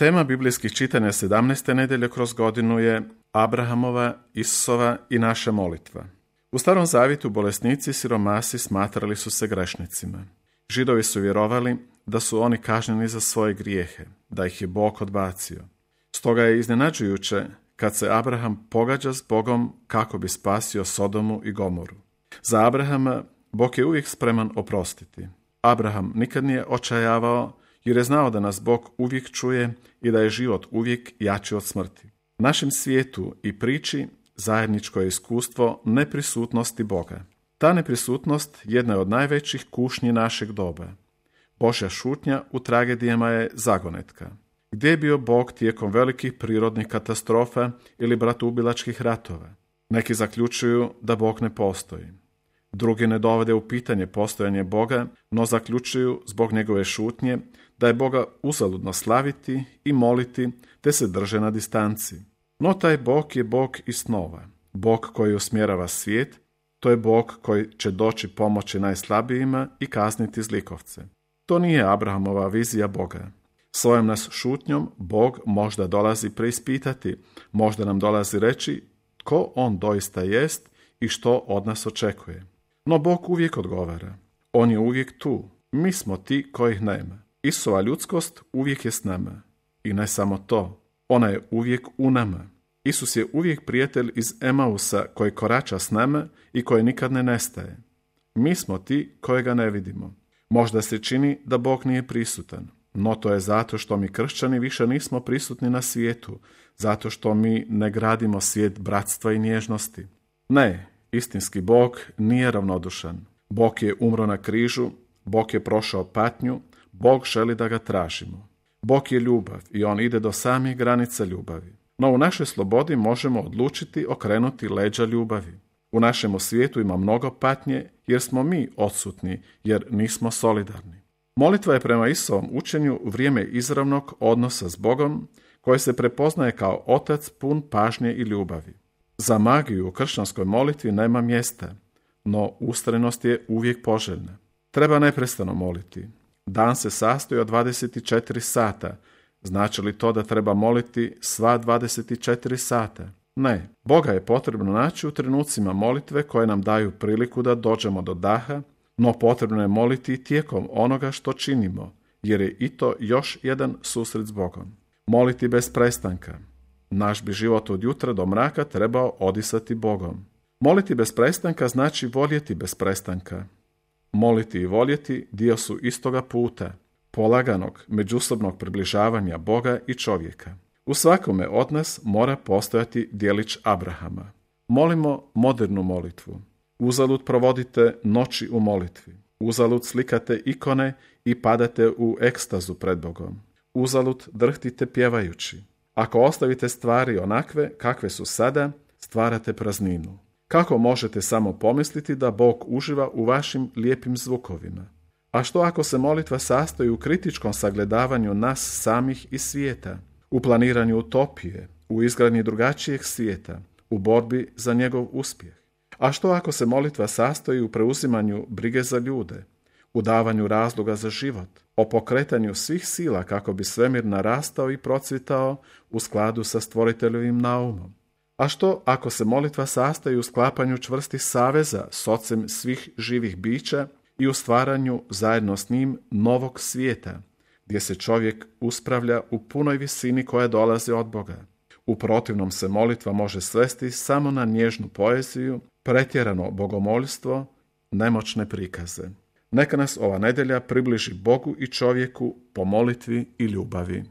Tema biblijskih čitanja 17. nedjelje kroz godinu je Abrahamova, Isusova i naša molitva. U Starom zavjetu bolesnici i siromasi smatrali su se grešnicima. Židovi su vjerovali da su oni kažnjeni za svoje grijehe, da ih je Bog odbacio. Stoga je iznenađujuće kad se Abraham pogađa s Bogom kako bi spasio Sodomu i Gomoru. Za Abrahama Bog je uvijek spreman oprostiti. Abraham nikad nije očajavao jer je znao da nas Bog uvijek čuje i da je život uvijek jači od smrti. U našem svijetu i priči zajedničko je iskustvo neprisutnosti Boga. Ta neprisutnost jedna je od najvećih kušnji našeg doba. Božja šutnja u tragedijama je zagonetka. Gdje je bio Bog tijekom velikih prirodnih katastrofa ili bratoubilačkih ratova? Neki zaključuju da Bog ne postoji. Drugi ne dovode u pitanje postojanje Boga, no zaključuju zbog njegove šutnje da je Boga uzaludno slaviti i moliti te se drže na distanci. No taj Bog je Bog iz snova. Bog koji usmjerava svijet, to je Bog koji će doći pomoći najslabijima i kazniti zlikovce. To nije Abrahamova vizija Boga. Svojom nas šutnjom Bog možda dolazi preispitati, možda nam dolazi reći tko on doista jest i što od nas očekuje. No Bog uvijek odgovara. On je uvijek tu. Mi smo ti kojih nema. Isusova ljudskost uvijek je s nama. I ne samo to. Ona je uvijek u nama. Isus je uvijek prijatelj iz Emausa koji korača s nama i koji nikad ne nestaje. Mi smo ti kojega ne vidimo. Možda se čini da Bog nije prisutan. No to je zato što mi kršćani više nismo prisutni na svijetu. Zato što mi ne gradimo svijet bratstva i nježnosti. Ne, istinski Bog nije ravnodušan. Bog je umro na križu, Bog je prošao patnju, Bog želi da ga tražimo. Bog je ljubav i on ide do samih granica ljubavi. No u našoj slobodi možemo odlučiti okrenuti leđa ljubavi. U našemu svijetu ima mnogo patnje jer smo mi odsutni, jer nismo solidarni. Molitva je prema Isusovom učenju vrijeme izravnog odnosa s Bogom koje se prepoznaje kao Otac pun pažnje i ljubavi. Za magiju u kršćanskoj molitvi nema mjesta, no ustrajnost je uvijek poželjna. Treba neprestano moliti. Dan se sastoji od 24 sata. Znači li to da treba moliti sva 24 sata? Ne. Boga je potrebno naći u trenucima molitve koje nam daju priliku da dođemo do daha, no potrebno je moliti i tijekom onoga što činimo, jer je i to još jedan susret s Bogom. Moliti bez prestanka. Naš bi život od jutra do mraka trebao odisati Bogom. Moliti bez prestanka znači voljeti bez prestanka. Moliti i voljeti dio su istoga puta, polaganog međusobnog približavanja Boga i čovjeka. U svakome od nas mora postojati djelić Abrahama. Molimo modernu molitvu. Uzalud provodite noći u molitvi. Uzalud slikate ikone i padate u ekstazu pred Bogom. Uzalud drhtite pjevajući. Ako ostavite stvari onakve kakve su sada, stvarate prazninu. Kako možete samo pomisliti da Bog uživa u vašim lijepim zvukovima? A što ako se molitva sastoji u kritičkom sagledavanju nas samih i svijeta, u planiranju utopije, u izgradnji drugačijeg svijeta, u borbi za njegov uspjeh? A što ako se molitva sastoji u preuzimanju brige za ljude, u davanju razloga za život, o pokretanju svih sila kako bi svemir narastao i procvitao u skladu sa stvoriteljevim naumom? A što ako se molitva sastoji u sklapanju čvrstih saveza s Ocem svih živih bića i u stvaranju zajedno s njim novog svijeta, gdje se čovjek uspravlja u punoj visini koja dolazi od Boga? U protivnom se molitva može svesti samo na nježnu poeziju, pretjerano bogomoljstvo, nemoćne prikaze. Neka nas ova nedjelja približi Bogu i čovjeku po molitvi i ljubavi.